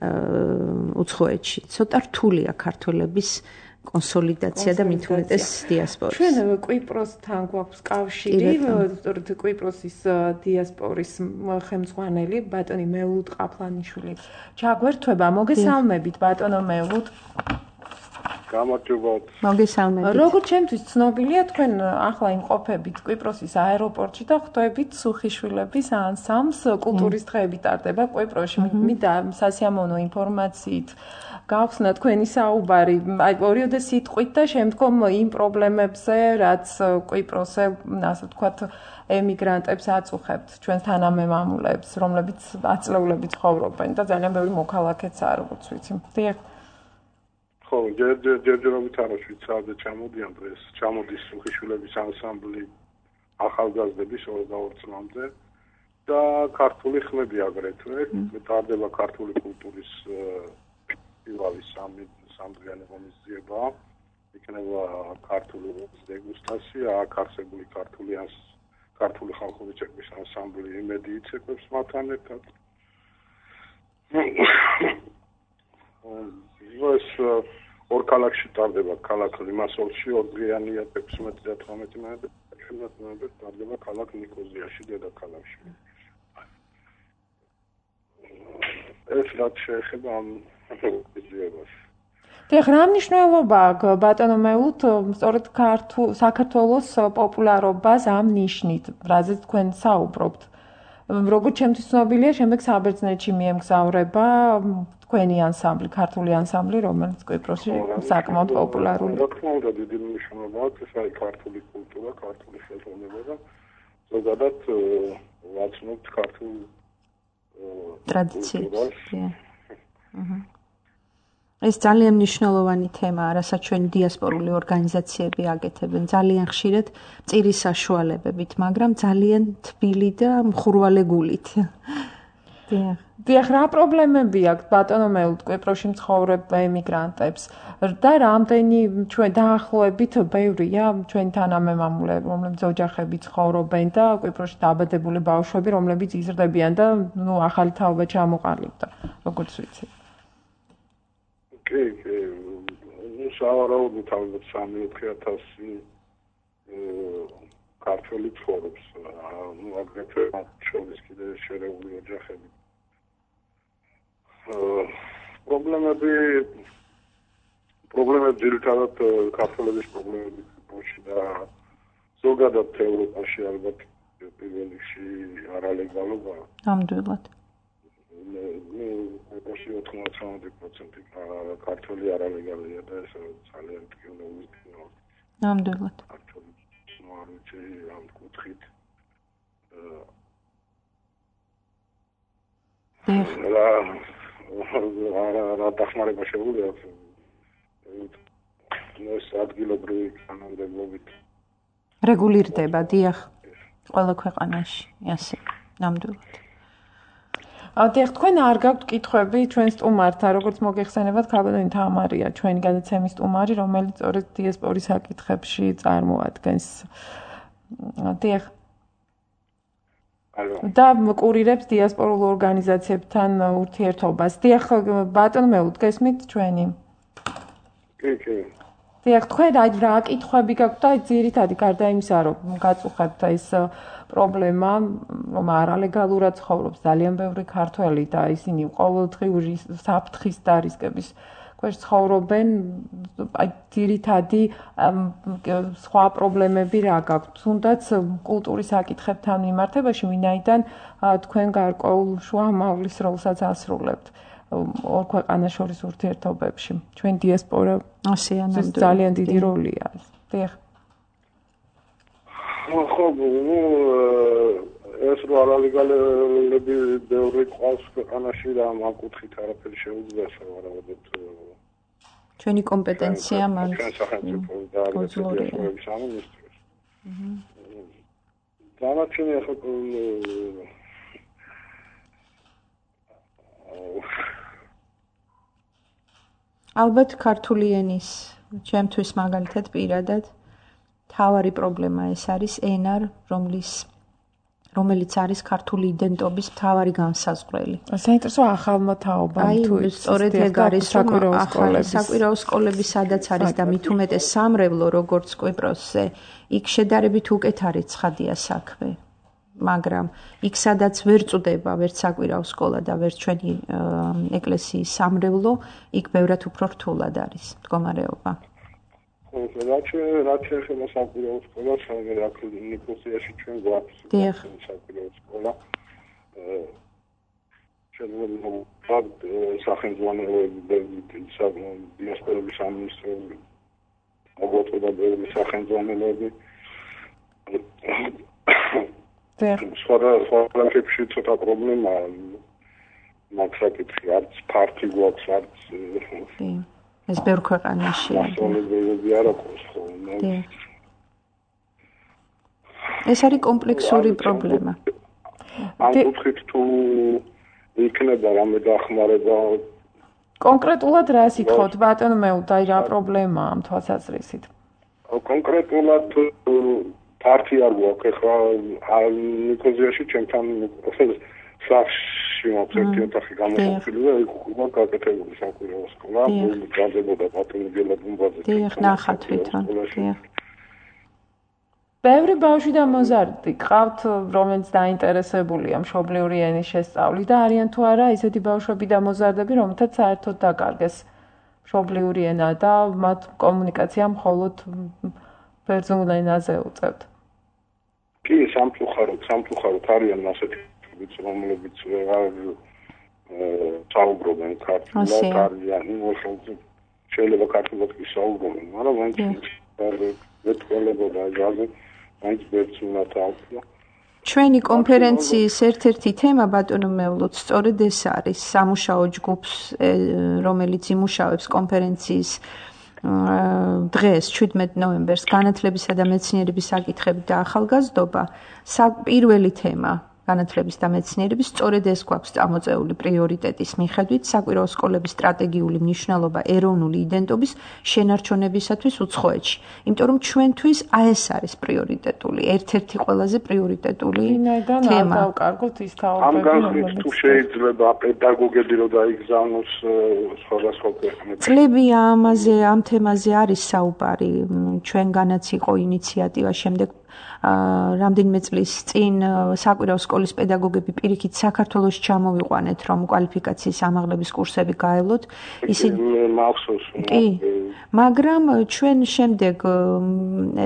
უცხოეთში ცოტა რთულია ქართველების კონსოლიდაცია და მით უმეტეს დიასპორის. ჩვენ კვიპროსთან გვაქვს კავშირი, კვიპროსის დიასპორის ხელმძღვანელი ბატონი მეულუდ ყაფლანიშვილი. ჩაგვერთვება, მოგესალმებით ბატონო მეულუდ. გამარჯობათ. მოგესალმებით. როგორც ჩემთვის ცნობილია, თქვენ ახლა იმყოფებით კვიპროსის აეროპორტში და ხვდებით სუხიშვილების ანსამბლს, კულტურის დღეები ტარდება კვიპროსში. მინდა სასიამოვნო ინფორმაციით გავხსნა თქვენი საუბარი, აი ორიოდე სიტყვით და შემდგომ იმ პრობლემებზე, რაც კვიპროსზე, ასე ვთქვათ, ემიგრანტებს აწუხებთ, ჩვენს თანამემამულეებს, რომლებიც ათწლეულები ცხოვრობენ და ძალიან ბევრი მოქალაქეც არ როგორც ვიცი. დიახ. ხო, ჯერჯერობით არა შვიცარზე ჩამოდიან დღეს, ჩამოდის სუხიშვილების ანსამბლი ახალგაზრდების 22 წლამდე და ქართული ხმები აგრეთვე, ტარდება ქართული კულტურის ფესტივალის სამდღიანი ღონისძიება, იქნება ქართული დეგუსტაცია, აქ არსებული ქართული ხალხური ცეკვის ანსამბლი იმედი იცეკვებს მათთან ერთად. ეს ორ ქალაქში ტარდება, ქალაქ ლიმასოლში 2 დღეანია 16 და 18 ნოემბერს ტარდება ქალაქ ნიკოზიაში, დედაქალაქში. ეს რაც შეეხება ამ ღონისძიებას. დიახ, რა მნიშვნელობა აქვს ბატონო მეულუდ სწორედ საქართველოს პოპულარობას ამ ნიშნით, რაზეც თქვენ საუბრობთ. როგორც ჩემთვის ცნობილია, შემდეგ საბერძნეთში მიემგზავრება თქვენი ანსამბლი, ქართული ანსამბლი, რომელიც კვიპროსში საკმაოდ პოპულარულია. რა თქმა უნდა, დიდი მნიშვნელობა აქვს, ეს არის ქართული კულტურა, ქართული ხელოვნება და ზოგადად ვაცნობთ ქართულ ტრადიციებს. ეს ძალიან მნიშვნელოვანი თემაა, რასაც ჩვენი დიასპორული ორგანიზაციები აკეთებენ. ძალიან ხშირად წირის საშუალებებით, მაგრამ ძალიან თბილი და მხურვალე გულით. დიახ, რა პრობლემები აქვს ბატონო მეულთ კვიპროსში მცხოვრებ ემიგრანტებს და რამდენი ჩვენ დაახლოებით ბევრია ჩვენი თანამემამულე, რომლებიც ოჯახები ცხოვრობენ და კვიპროსში დაბადებული ბავშვები, რომლებიც იზრდებიან და ახალი თაობა ჩამოყალიბდა, როგორც ვიცი. კი, სავარაუდოდ ალბათ 3-4,000 ქართველი ცხოვრობს, აგრეთვე შორის კიდე შერეული ოჯახები. პრობლემები ძირითადად ქართველების პრობლემები კვიპროსში და ზოგადად ევროპაში ალბათ პირველ რიგში არალეგალობა. ნამდვილად. კვიპროსში 90% ქართველი არალეგალია და ეს ძალიან ტკივნეული ტკივნეა. ნამდვილად. ქართველი მოარჩი ამ კუთხით რა დახმარება შეუძლია ეს ადგილობრივი კანონმდებლობით რეგულირდება, დიახ, ყველა ქვეყანაში, ასე, ნამდვილად. დიახ, თქვენ არ გაქვთ კითხვები ჩვენ სტუმართან, როგორც მოგეხსენებათ, ქალბატონი თამარია, ჩვენი გადაცემის სტუმარი, რომელიც სწორედ დიასპორის საკითხებში წარმოადგენს. დიახ. და კურირებს დიასპორულ ორგანიზაციებთან ურთიერთობას. დიახ, ბატონო მეულთ გესმით ჩვენი? კი. დიახ, თქვენ რა კითხვები გაქვთ და ძირითადად გარდა იმისა, რომ გაწუხებთ ეს პრობლემა, რომ არალეგალურად ცხოვრობს ძალიან ბევრი ქართველი და ისინი ყოველდღიური საფრთხის და რისკების ქვეშ ცხოვრობენ, ძირითადი სხვა პრობლემები რა გაქვთ, თუნდაც კულტურის საკითხებთან მიმართებაში, ვინაიდან თქვენ გარკვეულ შუამავლის როლსაც ასრულებთ ორ ქვეყანას შორის ურთიერთობებში. ჩვენ დიასპორა ძალიან დიდი როლია. დიახ. ხო, ეს რო არალეგალები ბევრი ყავს ქვეყანაში და ამ კუთხით არაფერი შეუძლია სავარაუდოდ ჩვენი კომპეტენცია მან გოზლორია. დანარჩენი ახლა ალბათ ქართული ენის ჩემთვის მაგალითად პირადად თავარი პრობლემა ეს არის ენა, რომელიც არის ქართული იდენტობის მთავარი განსაზღვრელი. საინტერესო ახალმა თაობამ თუ სწორედ ეგ არის, რომ საკვირაო სკოლები სადაც არის და მით უმეტეს სამრევლო როგორც კვიპროსზე, იქ შედარებით უკეთ არის ცხადია საქმე. მაგრამ იქ სადაც ვერ წვდება ვერც საკვირაო სკოლა და ვერც ჩვენი ეკლესიის სამრევლო, იქ ბევრად უფრო რთულად არის მდგომარეობა. რაც შეეხება საკვირაო სკოლას, აქ ნიკოსიაში ჩვენ გვაქვს საკვირაო სკოლა. შეიძლება სახელმძღვანელოები დიასპორების სამინისტროები მოგვაწოდა ბევრი სახელმძღვანელოები. სხვა ქვეყნებში ცოტა პრობლემაა მაგ საკითხი, არც ფართი გვაქვს, არც ეს ბევრ ქვეყანაში ეს არის კომპლექსური პრობლემა. ამ კუთხით თუ იქნება რამე დახმარება კონკრეტულად რა სიტყვით ბატონო მეულთ, აი რა პრობლემაა ამ თვალსაზრისით? კონკრეტულად ფართი არ გვაქვს, ეხლა ნიკოზიაში ჩემთან სახლში მაქვს ერთი ოთახი გამოყოფილი და იქ უკვე გაკეთებული საკვირაო სკოლა, გაზებოდა ბატონი გელაბუმბაძე. დიახ, ნახა თვითონ. დიახ. ბევრი ბავშვი და მოზარდი ყავთ, რომელიც დაინტერესებულია მშობლიური ენის შესწავლით და არიან თუ არა ისეთი ბავშვები და მოზარდები, რომელთაც საერთოდ დაკარგეს მშობლიური ენა და მათ კომუნიკაცია მხოლოდ ბერძნულ ენაზე უწევთ. კი, სამწუხაროდ არიან ასეთი რომლებიც საუბრობენ ქართულად, არიან შეიძლება ქართულად კი საუბრობენ, მაგრამ მეთქველებოდა ჟაზე მაინც ბერძნულად აუხსნა ჩვენი კონფერენციის ერთ-ერთი თემა ბატონო მეულოთ სწორედ ეს არის სამუშაო ჯგუფს რომელიც იმუშავებს კონფერენციის დღეს 17 ნოემბერს განათლებისა და მეცნიერების საკითხები და ახალგაზრდობა პირველი თემა განათლების და მეცნიერების სწორედ ეს გვაქვს წამოწეული პრიორიტეტის მიხედვით საკვირაო სკოლების სტრატეგიული მნიშვნელობა ეროვნული იდენტობის შენარჩუნებისათვის უცხოეთში. იმიტომ რომ ჩვენთვის ეს არის პრიორიტეტული, ერთ-ერთი ყველაზე პრიორიტეტული თემა. ამ განხილვის თუ შეიძლება პედაგოგები რომ დაიგზავნოს სხვადასხვა ქვეყნებში. წლებია ამ თემაზე არის საუბარი, ჩვენგანაც იყო ინიციატივა შემდეგ რამდენიმე წლის წინ საკვირაო სკოლის პედაგოგები პირიქით საქართველოში ჩამოვიყვანეთ, რომ კვალიფიკაციის ამაღლების კურსები გაევლოთ. ისინი მახსოვს. კი, მაგრამ ჩვენ შემდეგ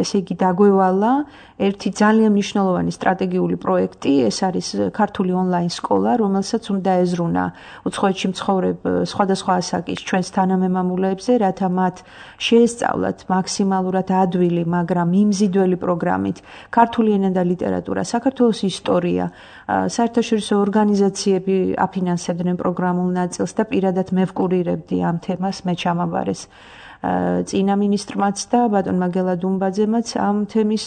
ესე იგი დაგვევალა ერთი ძალიან მნიშვნელოვანი სტრატეგიული პროექტი, ეს არის ქართული ონლაინ სკოლა, რომელსაც უნდა ეზრუნა უცხოეთში მცხოვრებ სხვადასხვა ასაკის ჩვენს თანამემამულეებზე, რათა მათ შეესწავლათ მაქსიმალურად ადვილი, მაგრამ მიმზიდველი პროგრამით ქართული ენა და ლიტერატურა, საქართველოს ისტორია, საერთაშორისო ორგანიზაციები აფინანსებდნენ პროგრამულ ნაწილს და პირადად მე ვკურირებდი ამ თემას, მე ჩამაბარეს წინა მინისტრმაც და ბატონმა გელადუმბაძემაც ამ თემის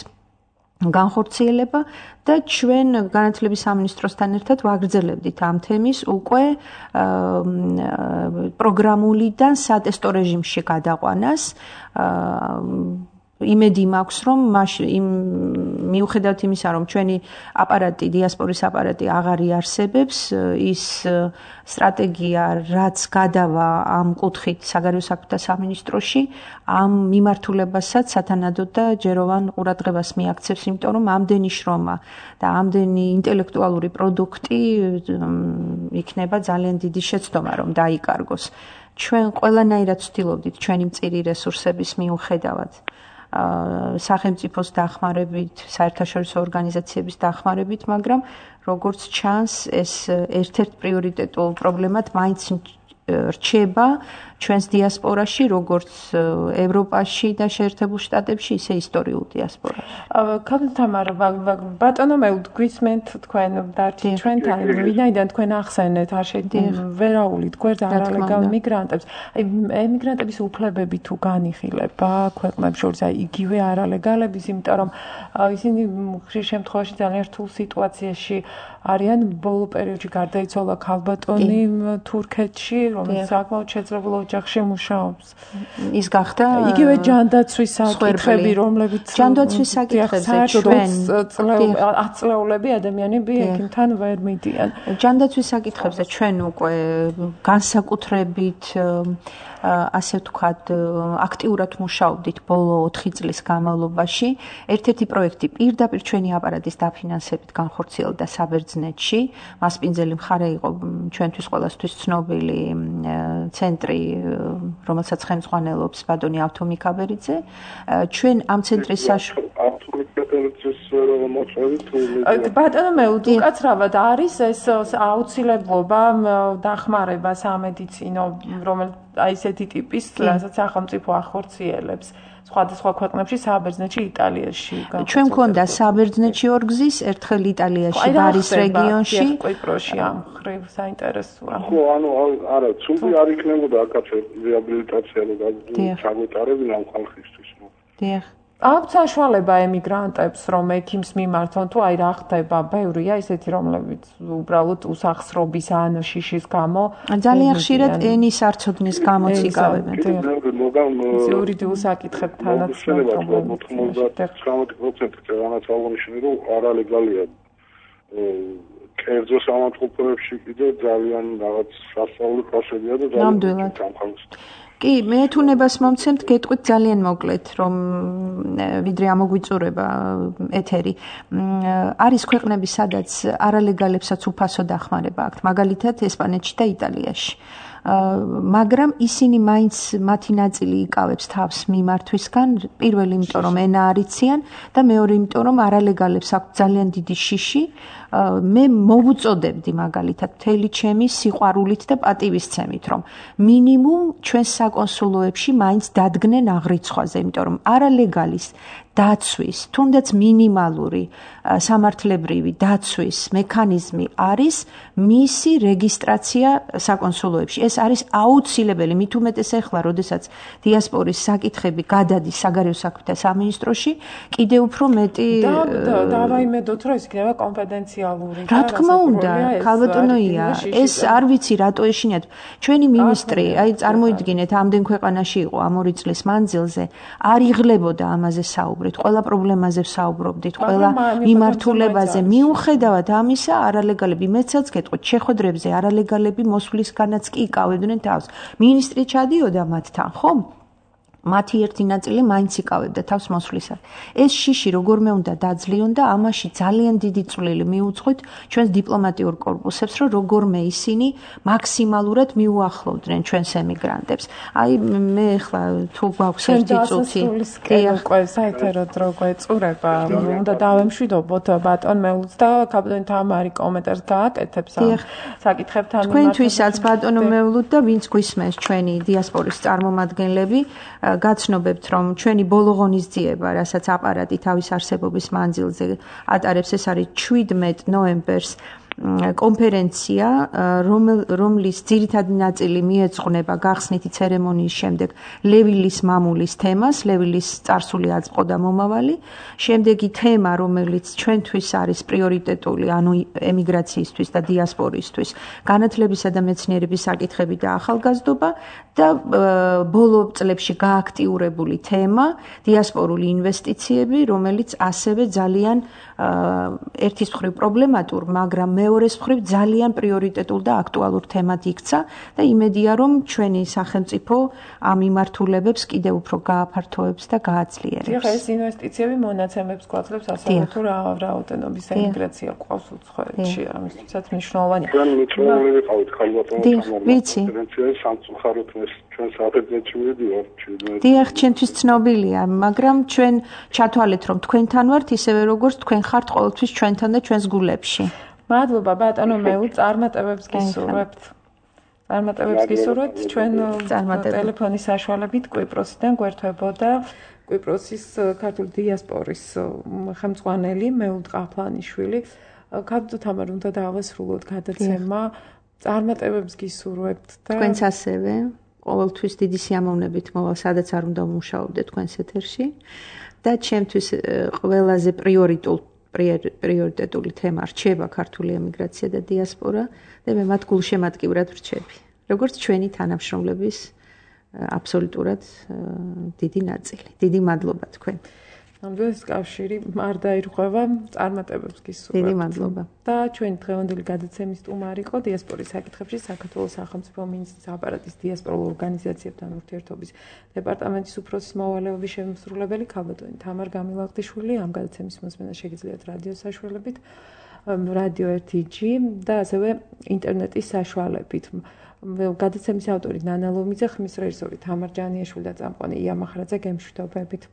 განხორციელება და ჩვენ განათლების სამინისტროსთან ერთად ვაგრძელებდით ამ თემის უკვე პროგრამულიდან სატესტო რეჟიმში გადაყვანას. იმედი მაქვს, რომ მიუხედავად იმისა, რომ ჩვენი აპარატი, დიასპორის აპარატი აღარ იარსებებს, ის სტრატეგია, რაც გადავა ამ კუთხით საგარეო საქმეთა სამინისტროში, ამ მიმართულებასაც სათანადოდ და ჯეროვან ყურადღებას მიაქცევს, იმიტომ რომ ამდენი შრომა და ამდენი ინტელექტუალური პროდუქტი იქნება ძალიან დიდი შეცდომა, რომ დაიკარგოს. ჩვენ ყველანაირად ვცდილობდით ჩვენი მწირი რესურსების მიუხედავად სახელმწიფოს დახმარებით, საერთაშორისო ორგანიზაციების დახმარებით, მაგრამ როგორც ჩანს, ეს ერთ-ერთ პრიორიტეტულ პრობლემად მაინც რჩება ჩვენს დიასპორაში, როგორც ევროპაში და შეერთებულ შტატებში, ისე ისტორიულ დიასპორაში. თამარა, ბატონო მე გვისმენთ თქვენ დარჩით ჩვენთან, ვინაიდან თქვენ ახსენეთ არ ვერაულით გვერდ არალეგალ მიგრანტებს. აი ემიგრანტების უფლებები თუ განიხილება ქვეყნებს შორის, აი იგივე არალეგალების, იმიტომ რომ ისინი ხშირ შემთხვევაში ძალიან რთულ სიტუაციაში არიან. ბოლო პერიოდში გარდაიცვალა ქალბატონი თურქეთში, რომელიც საკმაოდ შეძლებულ ოჯახში მუშაობს. ის გახდა იგივე ჯანდაცვის საკითხები, რომლებიც ჯანდაცვის საკითხებზე ჩვენ 10 წლეულები ადამიანები ექიმთან ვერ მიდიან. ჯანდაცვის საკითხებზე ჩვენ უკვე განსაკუთრებით ასე ვთქვათ, აქტიურად მუშაობდით ბოლო 4 წლის განმავლობაში. ერთ-ერთი პროექტი პირდაპირ ჩვენი აპარატის დაფინანსებით განხორციელდა საბერძნეთში. მასპინძელი მხარე იყო ჩვენთვის ყველასთვის ცნობილი ცენტრი, რომელსაც ხელმძღვანელობს ბატონი ავთო მიქაბერიძე. ჩვენ ამ ცენტრის ბატონო მე უკაცრავად არის ეს აუცილებლობა დახმარება სამედიცინო, რომელიც აი ესეთი ტიპის, რასაც სახელმწიფო ახორციელებს სხვადასხვა ქვეყნებში, საბერძნეთში, იტალიაში. ჩვენ მქონდა საბერძნეთში ორგზის, ერთხელ იტალიაში, ბარის რეგიონში. კვიპროსში ამ ხრივ საინტერესოა. ხო, არა, ცუდი არ იქნებოდა აქაც რეაბილიტაცია და ჩაგვეტარებინა ამ ხალხისთვის. დიახ. აქვს საშუალება ემიგრანტებს, რომ ექიმს მიმართონ, თუ აი რა ხდება, ბევრია ისეთი, რომლებიც უბრალოდ უსახსრობის ან შიშის გამო ძალიან ხშირად ენის არცოდნის გამოც იკავებენ. იურიდიულ საკითხებთანაც პრობლემები. 90% რამაც აღნიშნე, რომ არალეგალია. კერძო სამართლებებში კიდე ძალიან რაღაც სასწავლო პროცედურა და ძალიან ჩამხალს. კი, მე თუნებას მომცემთ გეტყვით ძალიან მოკლედ, რომ ვიდრე ამოგვიწურება ეთერი. არის ქვეყნები, სადაც არალეგალებსაც უფასო დახმარება აქვთ, მაგალითად ესპანეთში და იტალიაში. მაგრამ ისინი მაინც მათი ნაწილი იკავებს თავს მიმართვისგან, პირველი იმიტომ რომ ენა არ იციან და მეორე იმიტომ რომ არალეგალებს აქვთ ძალიან დიდი შიში. მე მოვუწოდებდი მაგალითად მთელი ჩემი სიყვარულით და პატივისცემით, რომ მინიმუმ ჩვენს საკონსულოებში მაინც დადგნენ აღრიცხვაზე, იმიტომ რომ არალეგალის დაცვის, თუნდაც მინიმალური სამართლებრივი დაცვის მექანიზმი არის მისი რეგისტრაცია საკონსულოებში. ეს არის აუცილებელი, მით უმეტეს ახლა, როდესაც დიასპორის საკითხები გადადის საგარეო საქმეთა სამინისტროში, კიდევ უფრო მეტი დავაიმედოთ, რომ ეს იქნება კონფიდენციალური. რა თქმა უნდა, ქალბატონოია, ეს არ ვიცი რატო ეშინიათ. ჩვენი მინისტრი, აი წარმოიდგინეთ, ამდენ ქვეყანაში იყო ამ 2 წლის მანძილზე, არ იღლებოდა ამაზე საუბრით, ყველა პრობლემაზე საუბრობდით, ყველა მიმართულებაზე. მიუხედავად ამისა, არალეგალები მეცაც გეტყვით, შეხვედრებზე არალეგალები მოსვლისგანაც კი იკავებდნენ თავს. მინისტრი ჩადიოდა მათთან, ხო? მათი ერთი ნაწილი მაინც იკავებდა თავს მოსვლისას. ეს შიში როგორმე უნდა დაძლიონ და ამაში ძალიან დიდი წვლილი მიუძღვით ჩვენს დიპლომატიურ კორპუსებს, რომ როგორმე ისინი მაქსიმალურად მიუახლოვდნენ ჩვენს ემიგრანტებს. აი მე ახლა თუ გვაქვს ერთი წუთი, უკვე საერთოდ რო გვეწურება, უნდა დავემშვიდობოთ ბატონ მეულს და ქალბატონი თამარი კომენტარს გააკეთებს ამ საკითხებთან. თქვენთვისაც ბატონო მეულუთ და ვინც გვისმენს ჩვენი დიასპორის წარმომადგენლები, გაცნობებთ, რომ ჩვენი ბოლო ღონისძიება, რასაც აპარატი თავის არსებობის მანძილზე ატარებს, ეს არის 17 ნოემბერს კონფერენცია, რომლის ძირითადი ნაწილი მიეძღვნება გახსნითი ცერემონიის შემდეგ ლევილის მამულის თემას, ლევილის წარსული აწყო და მომავალი. შემდეგი თემა, რომელიც ჩვენთვის არის პრიორიტეტული, ანუ ემიგრაციისთვის და დიასპორისთვის, განათლებისა და მეცნიერების საკითხები და ახალგაზრდობა და ბოლო წლებში გააქტიურებული თემა, დიასპორული ინვესტიციები, რომელიც ასევე ძალიან ერთის მხრივ პრობლემატურ, მაგრამ მეორეს მხრივ ძალიან პრიორიტეტულ და აქტუალურ თემად იქცა და იმედია, რომ ჩვენი სახელმწიფო ამ მიმართულებებს კიდევ უფრო გააფართოებს და გააძლიერებს. ეს ინვესტიციები მონაცემებს გვაძლევს ასევე თუ რაოდენობის ემიგრაცია ყავს უცხოეთში, ამისთვისაც მნიშვნელოვანია. ძალიან მნიშვნელოვანი ვიყავით ქალბატონო ვიცი. სამწუხაროდ ჩვენ საფრთხეში მივიდივართ. დიახ, ჩვენთვის ცნობილია, მაგრამ ჩვენ ჩათვალეთ, რომ თქვენთან ვართ, ისევე როგორც თქვენ ხართ ყოველთვის ჩვენთან და ჩვენს გულებში. მადლობა ბატონო მეულ, წარმატებებს გისურვებთ. წარმატებებს გისურვებთ, ჩვენ ტელეფონის საშუალებით კვიპროსიდან გვერდებოდა კვიპროსის ქართული დიასპორის ხელმძღვანელი მეულ ყაფლანიშვილი. ქაბდო თამარ უნდა დავასრულოთ გადაცემა. წარმატებებს გისურვებთ და თქვენც ასევე ყოველთვის დიდი სიამოვნებით მოვალ, სადაც არ უნდა ვმუშაობდე თქვენს ეთერში და ჩემთვის ყველაზე პრიორიტეტული თემა რჩება ქართული ემიგრაცია და დიასპორა და მე მათ გულშემატკივრად ვრჩები. როგორც ჩვენი თანამშრომლების აბსოლუტურად დიდი ნაწილი. დიდი მადლობა თქვენ. ნამდვილად კავშირი არ დაირღვევა, წარმატებებს გისურვებთ. დიდი მადლობა. და ჩვენი დღევანდელი გადაცემის სტუმარი იყო დიასპორის საკითხებში საქართველოს სახელმწიფო მინისტრის აპარატის დიასპორულ ორგანიზაციებთან ურთიერთობის დეპარტამენტის უფროსის მოვალეობის შემსრულებელი ქალბატონი თამარ გამილაღდიშვილი. ამ გადაცემის მოსმენა შეგიძლიათ რადიოს საშუალებით, რადიო 1G და ასევე ინტერნეტის საშუალებით. გადაცემის ავტორი ნანა ლომიძე, ხმის რეჟისორი თამარ ჯანიაშვილი და წამყვანი ია მახრაძე. გემშვიდობებით.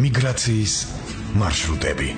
მიგრაციის მარშრუტები.